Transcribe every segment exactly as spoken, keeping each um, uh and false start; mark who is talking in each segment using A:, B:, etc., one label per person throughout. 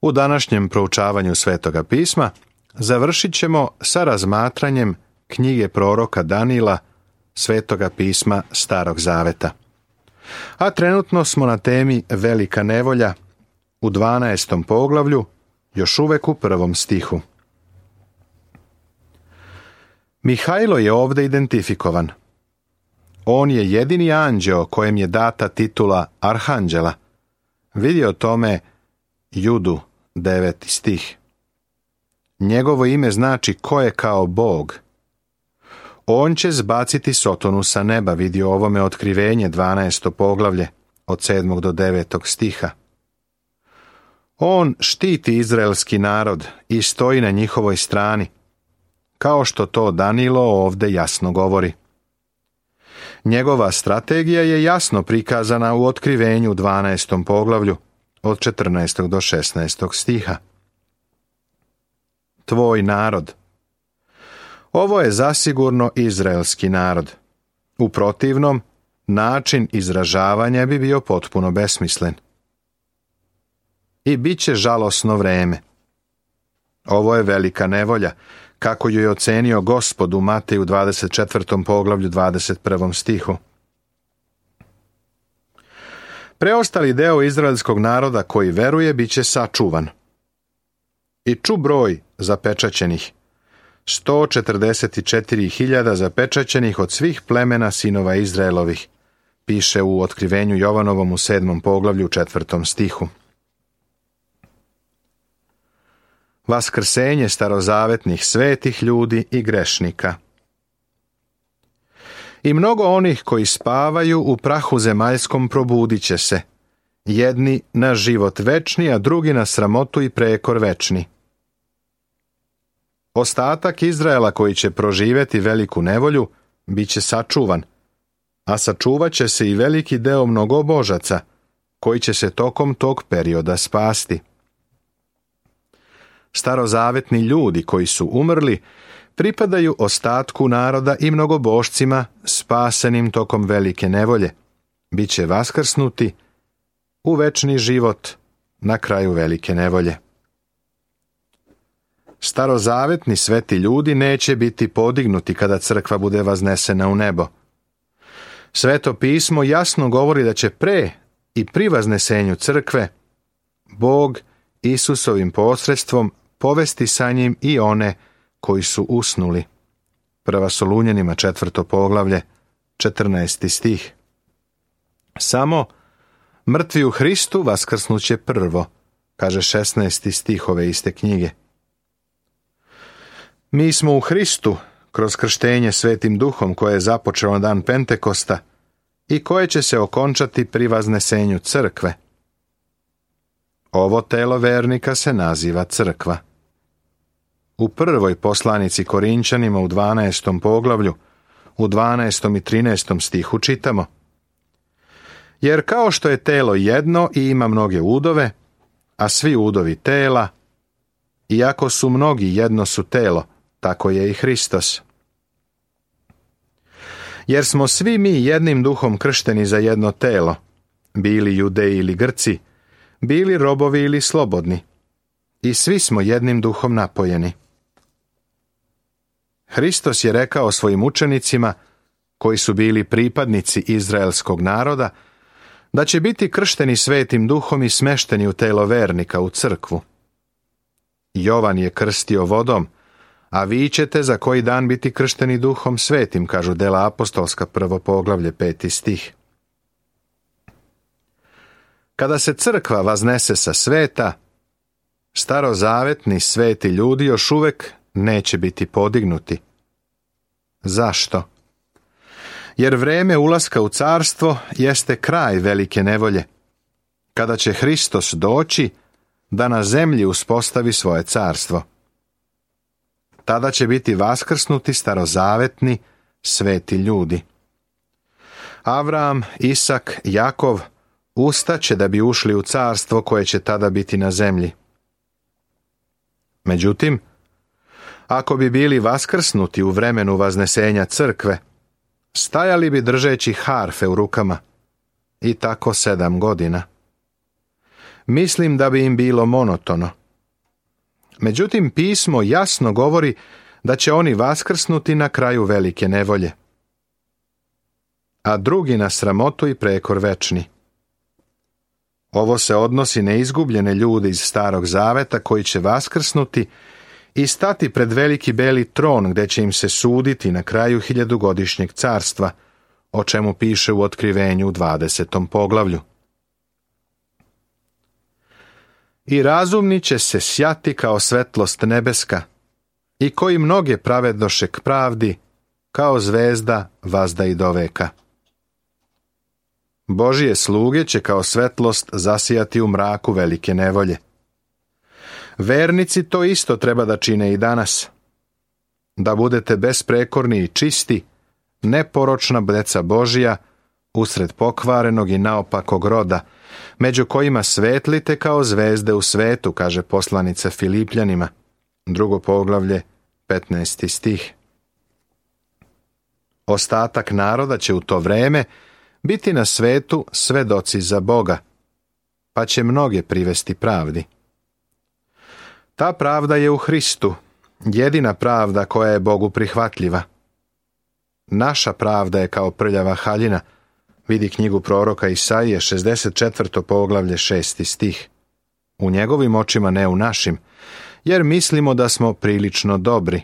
A: U današnjem proučavanju Svetoga pisma završit ćemo sa razmatranjem knjige proroka Danila, Svetoga pisma Starog zaveta. A trenutno smo na temi Velika nevolja u dvanaestom poglavlju, još uvek u prvom stihu. Mihajlo je ovdje identifikovan. On je jedini anđeo kojem je data titula arhanđela. Vidi o tome Judu, deveti stih. Njegovo ime znači ko je kao Bog. On će zbaciti Sotonu sa neba, vidi o ovome otkrivenje, dvanaesto poglavlje, od sedmog do devetog stiha. On štiti izraelski narod i stoji na njihovoj strani, kao što to Danilo ovdje jasno govori. Njegova strategija je jasno prikazana u otkrivenju dvanaestom poglavlju, od četrnaestog do šesnaestog stiha. Tvoj narod. Ovo je zasigurno izraelski narod. U protivnom, način izražavanja bi bio potpuno besmislen. I bit će žalosno vreme. Ovo je velika nevolja, kako ju je ocenio Gospod u Mateju dvadeset četvrtom poglavlju dvadeset prvom stihu. Preostali deo izraelskog naroda koji veruje bit će sačuvan. I ču broj zapečaćenih, sto četrdeset četiri hiljade zapečaćenih od svih plemena sinova Izraelovih, piše u otkrivenju Jovanovom u sedmom poglavlju četvrtom stihu. Vaskrsenje starozavetnih svetih ljudi i grešnika. I mnogo onih koji spavaju u prahu zemaljskom probudit će se, jedni na život večni, a drugi na sramotu i prekor večni. Ostatak Izraela koji će proživjeti veliku nevolju bit će sačuvan, a sačuvat će se i veliki deo mnogobožaca koji će se tokom tog perioda spasti. Starozavetni ljudi koji su umrli pripadaju ostatku naroda i mnogobošcima spasenim tokom velike nevolje. Biće vaskrsnuti u večni život na kraju velike nevolje. Starozavetni sveti ljudi neće biti podignuti kada crkva bude vaznesena u nebo. Sveto pismo jasno govori da će pre i pri vaznesenju crkve Bog Isusovim posredstvom povesti sa njim i one koji su usnuli. Prva Solunjanima četvrto poglavlje, četrnaesti stih. Samo mrtvi u Hristu vaskrsnuće prvo, kaže šesnaesti stih ove iste knjige. Mi smo u Hristu kroz krštenje Svetim Duhom koje je započelo na dan Pentekosta i koje će se okončati pri vaznesenju crkve. Ovo telo vernika se naziva crkva. U prvoj poslanici Korinčanima u dvanaestom poglavlju, u dvanaestom i trinaestom stihu čitamo: Jer kao što je telo jedno i ima mnoge udove, a svi udovi tela, iako su mnogi jedno su telo, tako je i Hristos. Jer smo svi mi jednim duhom kršteni za jedno telo, bili Judeji ili Grci, bili robovi ili slobodni, i svi smo jednim duhom napojeni. Hristos je rekao svojim učenicima, koji su bili pripadnici izraelskog naroda, da će biti kršteni Svetim Duhom i smešteni u telo vernika, u crkvu. Jovan je krstio vodom, a vi ćete za koji dan biti kršteni Duhom Svetim, kažu dela apostolska, prvo poglavlje, peti stih. Kada se crkva vaznese sa sveta, starozavetni sveti ljudi još uvek neće biti podignuti. Zašto? Jer vreme ulaska u carstvo jeste kraj velike nevolje, kada će Hristos doći da na zemlji uspostavi svoje carstvo. Tada će biti vaskrsnuti starozavetni sveti ljudi. Avram, Isak, Jakov ustaće da bi ušli u carstvo koje će tada biti na zemlji. Međutim, ako bi bili vaskrsnuti u vremenu vaznesenja crkve, stajali bi držeći harfe u rukama, i tako sedam godina. mislim da bi im bilo monotono. Međutim, pismo jasno govori da će oni vaskrsnuti na kraju velike nevolje, a drugi na sramotu i prekor večni. Ovo se odnosi na izgubljene ljude iz Starog Zaveta koji će vaskrsnuti i stati pred veliki beli tron gdje će im se suditi na kraju hiljadugodišnjeg carstva, o čemu piše u Otkrivenju u dvadesetom poglavlju. I razumni će se sjati kao svetlost nebeska, i koji mnoge pravednoše k pravdi, kao zvezda vazda i doveka. Božije sluge će kao svetlost zasijati u mraku velike nevolje. Vernici to isto treba da čine i danas. Da budete besprekorni i čisti, neporočna deca Božija, usred pokvarenog i naopakog roda, među kojima svetlite kao zvezde u svetu, kaže poslanica Filipljanima, drugo poglavlje, petnaesti stih. Ostatak naroda će u to vreme biti na svetu svedoci za Boga, pa će mnoge privesti pravdi. Ta pravda je u Hristu, jedina pravda koja je Bogu prihvatljiva. Naša pravda je kao prljava haljina, vidi knjigu proroka Isaije, šezdeset četvrto poglavlje, šesti stih. U njegovim očima, ne u našim, jer mislimo da smo prilično dobri.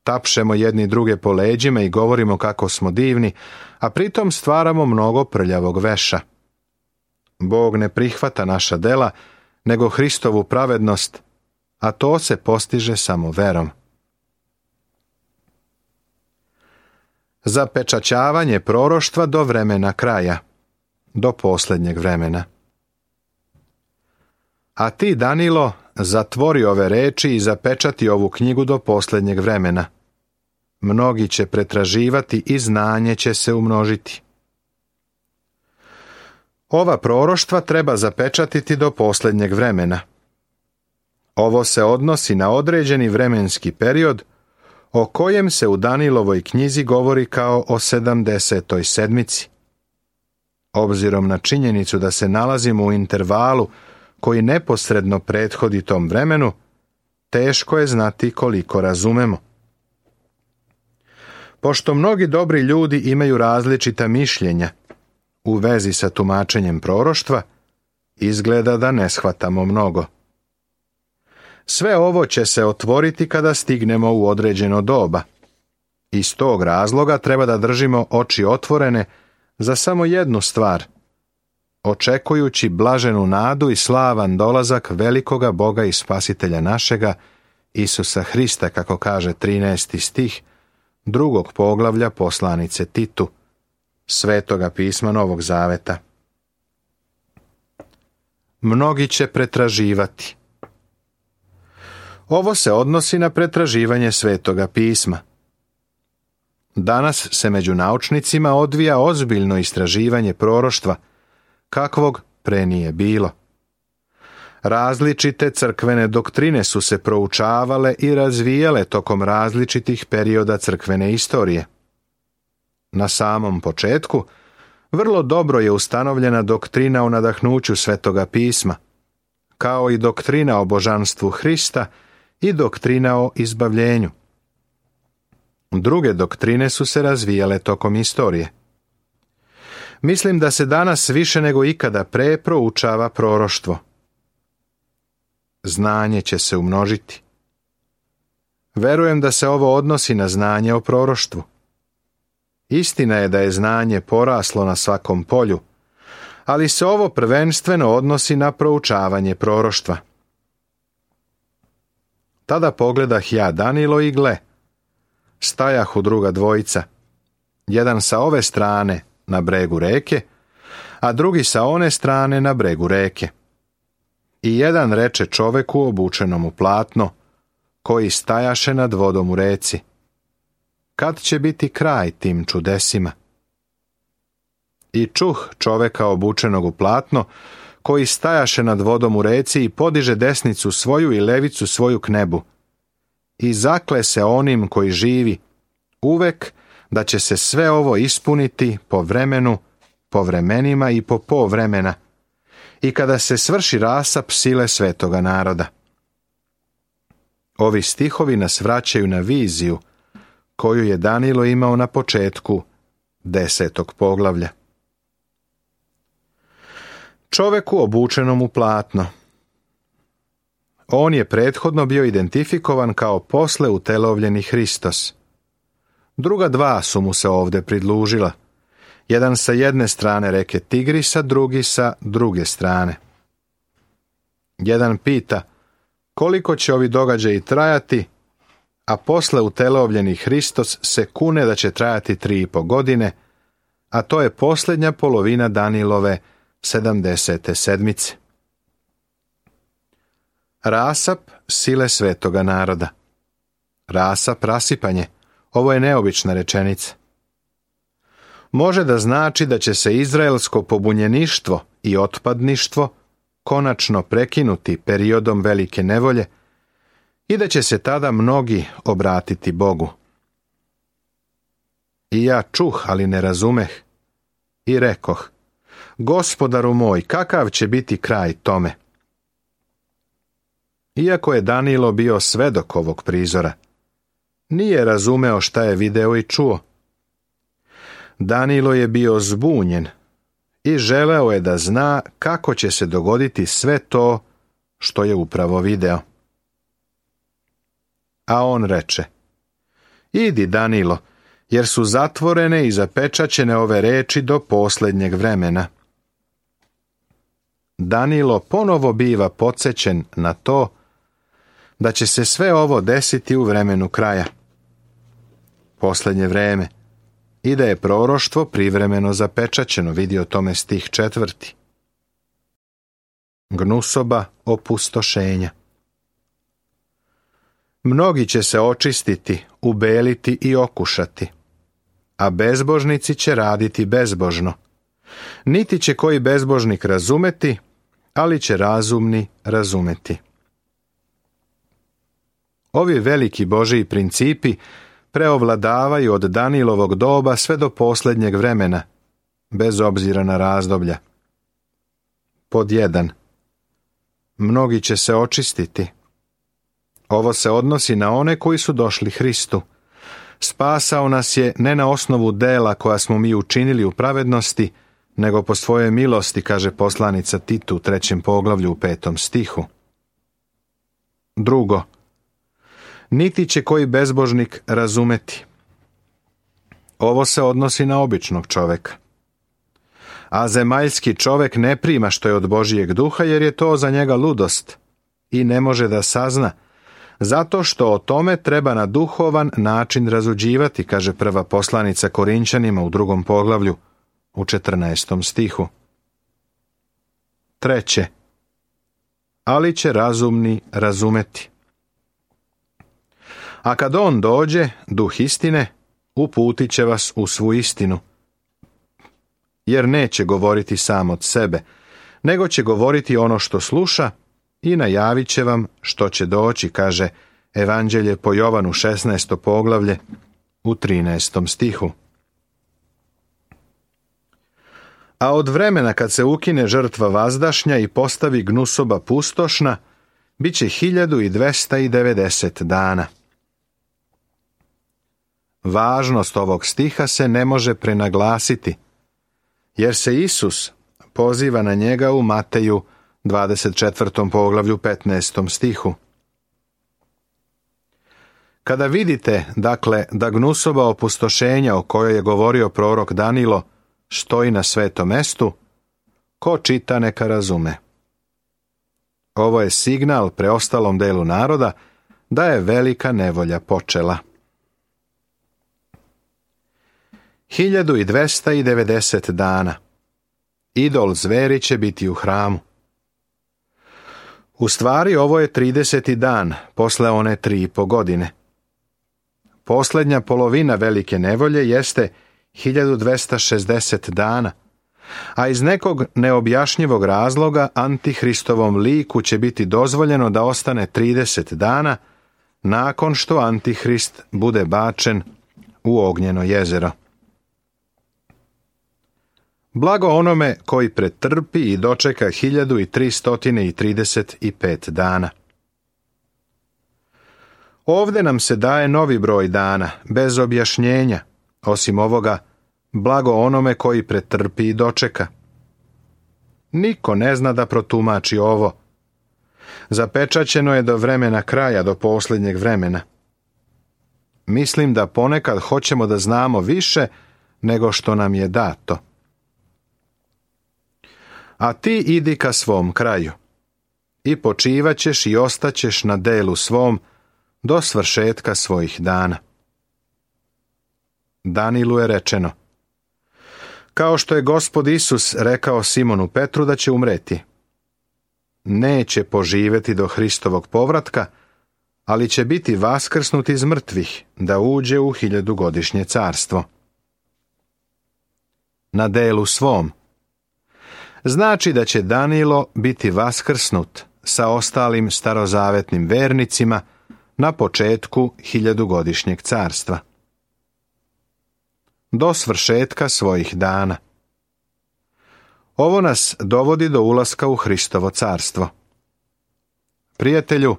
A: Tapšemo jedni druge po leđima i govorimo kako smo divni, a pritom stvaramo mnogo prljavog veša. Bog ne prihvata naša dela, nego Hristovu pravednost, a to se postiže samo verom. Zapečaćavanje proroštva do vremena kraja, do posljednjeg vremena. A ti, Danilo, zatvori ove reči i zapečati ovu knjigu do posljednjeg vremena. Mnogi će pretraživati i znanje će se umnožiti. Ova proroštva treba zapečatiti do posljednjeg vremena. Ovo se odnosi na određeni vremenski period o kojem se u Danilovoj knjizi govori kao o sedamdesetoj sedmici. Obzirom na činjenicu da se nalazimo u intervalu koji neposredno prethodi tom vremenu, teško je znati koliko razumemo. Pošto mnogi dobri ljudi imaju različita mišljenja u vezi sa tumačenjem proroštva, izgleda da ne shvatamo mnogo. Sve ovo će se otvoriti kada stignemo u određeno doba. Iz tog razloga treba da držimo oči otvorene za samo jednu stvar, očekujući blaženu nadu i slavan dolazak velikoga Boga i Spasitelja našega, Isusa Hrista, kako kaže trinaesti stih drugog poglavlja poslanice Titu, Svetoga pisma Novog Zaveta. Mnogi će pretraživati. Ovo se odnosi na pretraživanje Svetoga pisma. Danas se među naučnicima odvija ozbiljno istraživanje proroštva, kakvog pre nije bilo. Različite crkvene doktrine su se proučavale i razvijale tokom različitih perioda crkvene istorije. Na samom početku, vrlo dobro je ustanovljena doktrina o nadahnuću Svetoga pisma, kao i doktrina o božanstvu Hrista i doktrina o izbavljenju. Druge doktrine su se razvijale tokom istorije. Mislim da se danas više nego ikada pre proučava proroštvo. Znanje će se umnožiti. Verujem da se ovo odnosi na znanje o proroštvu. Istina je da je znanje poraslo na svakom polju, ali se ovo prvenstveno odnosi na proučavanje proroštva. Tada pogledah ja Danilo i gle, stajahu druga dvojica, jedan sa ove strane na bregu reke, a drugi sa one strane na bregu reke. I jedan reče čoveku obučenom u platno, koji stajaše nad vodom u reci: kad će biti kraj tim čudesima? I čuh čoveka obučenog u platno, koji stajaše nad vodom u reci i podiže desnicu svoju i levicu svoju k nebu. I zakle se onim koji živi uvek da će se sve ovo ispuniti po vremenu, po vremenima i po povremena, i kada se svrši rasap sile svetoga naroda. Ovi stihovi nas vraćaju na viziju koju je Danilo imao na početku desetog poglavlja. Čoveku obučenom u platno. On je prethodno bio identifikovan kao posle utelovljeni Hristos. Druga dva su mu se ovdje pridružila. Jedan sa jedne strane reke Tigrisa, drugi sa druge strane. Jedan pita koliko će ovi događaji trajati, a posle utelovljeni Hristos se kune da će trajati tri i po godine, a to je posljednja polovina Danilove sedamdesete sedmice. Rasap sile svetoga naroda. Rasap, rasipanje. Ovo je neobična rečenica. Može da znači da će se izraelsko pobunjeništvo i otpadništvo konačno prekinuti periodom velike nevolje i da će se tada mnogi obratiti Bogu. I ja čuh, ali ne razumeh, i rekoh, Gospodaru moj, kakav će biti kraj tome? Iako je Danilo bio svedok ovog prizora, nije razumeo šta je video i čuo. Danilo je bio zbunjen i želeo je da zna kako će se dogoditi sve to što je upravo video. A on reče, idi Danilo, jer su zatvorene i zapečaćene ove reči do posljednjeg vremena. Danilo ponovo biva podsjećen na to da će se sve ovo desiti u vremenu kraja, posljednje vreme, i da je proroštvo privremeno zapečaćeno, vidi o tome stih četvrti. Gnusoba opustošenja. Mnogi će se očistiti, ubeliti i okušati, a bezbožnici će raditi bezbožno. Niti će koji bezbožnik razumeti, ali će razumni razumeti. Ovi veliki Božiji principi preovladavaju od Danilovog doba sve do posljednjeg vremena, bez obzira na razdoblja. Pod jedan. Mnogi će se očistiti. Ovo se odnosi na one koji su došli Hristu. Spasao nas je ne na osnovu dela koja smo mi učinili u pravednosti, nego po svojoj milosti, kaže poslanica Titu u trećem poglavlju u petom stihu. Drugo. Niti će koji bezbožnik razumeti. Ovo se odnosi na običnog čoveka. A zemaljski čovek ne prima što je od Božijeg duha, jer je to za njega ludost i ne može da sazna, zato što o tome treba na duhovan način razuđivati, kaže prva poslanica Korinćanima u drugom poglavlju u četrnaestom stihu. Treće. Ali će razumni razumeti. A kad on dođe, duh istine, uputit će vas u svu istinu. Jer neće govoriti sam od sebe, nego će govoriti ono što sluša i najavit će vam što će doći, kaže Evanđelje po Jovanu šesnaesto poglavlje u trinaestom stihu. A od vremena kad se ukine žrtva vazdašnja i postavi gnusoba pustošna, bit će hiljadu i dvesta i devedeset dana. Važnost ovog stiha se ne može prenaglasiti, jer se Isus poziva na njega u Mateju dvadeset četvrtom poglavlju petnaestom stihu. Kada vidite, dakle, da gnusoba opustošenja o kojoj je govorio prorok Danilo stoji na svetom mestu, ko čita neka razume. Ovo je signal preostalom delu naroda da je velika nevolja počela. hiljadu i dvesta i devedeset dana. Idol zveri će biti u hramu. U stvari ovo je trideseti dan posle one tri i po godine. Posljednja polovina velike nevolje jeste hiljadu dvesta šezdeset dana, a iz nekog neobjašnjivog razloga Antihristovom liku će biti dozvoljeno da ostane trideset dana nakon što Antihrist bude bačen u ognjeno jezero. Blago onome koji pretrpi i dočeka hiljadu i tristo trideset pet dana. Ovdje nam se daje novi broj dana, bez objašnjenja, osim ovoga, blago onome koji pretrpi i dočeka. Niko ne zna da protumači ovo. Zapečaćeno je do vremena kraja, do posljednjeg vremena. Mislim da ponekad hoćemo da znamo više nego što nam je dato. A ti idi ka svom kraju i počivaćeš i ostaćeš na delu svom do svršetka svojih dana. Danilu je rečeno: kao što je Gospod Isus rekao Simonu Petru da će umreti, neće poživjeti do Hristovog povratka, ali će biti vaskrsnut iz mrtvih da uđe u hiljadugodišnje carstvo. Na delu svom znači da će Danilo biti vaskrsnut sa ostalim starozavetnim vernicima na početku hiljadugodišnjeg carstva. Do svršetka svojih dana. Ovo nas dovodi do ulaska u Hristovo carstvo. Prijatelju,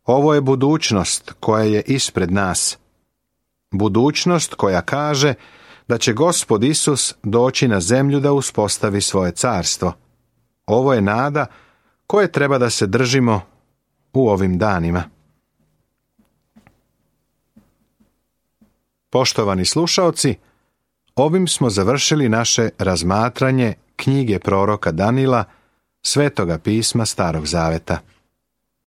A: ovo je budućnost koja je ispred nas. Budućnost koja kaže da će Gospod Isus doći na zemlju da uspostavi svoje carstvo. Ovo je nada koje treba da se držimo u ovim danima. Poštovani slušaoci, ovim smo završili naše razmatranje knjige proroka Danila, Svetoga pisma Starog Zaveta.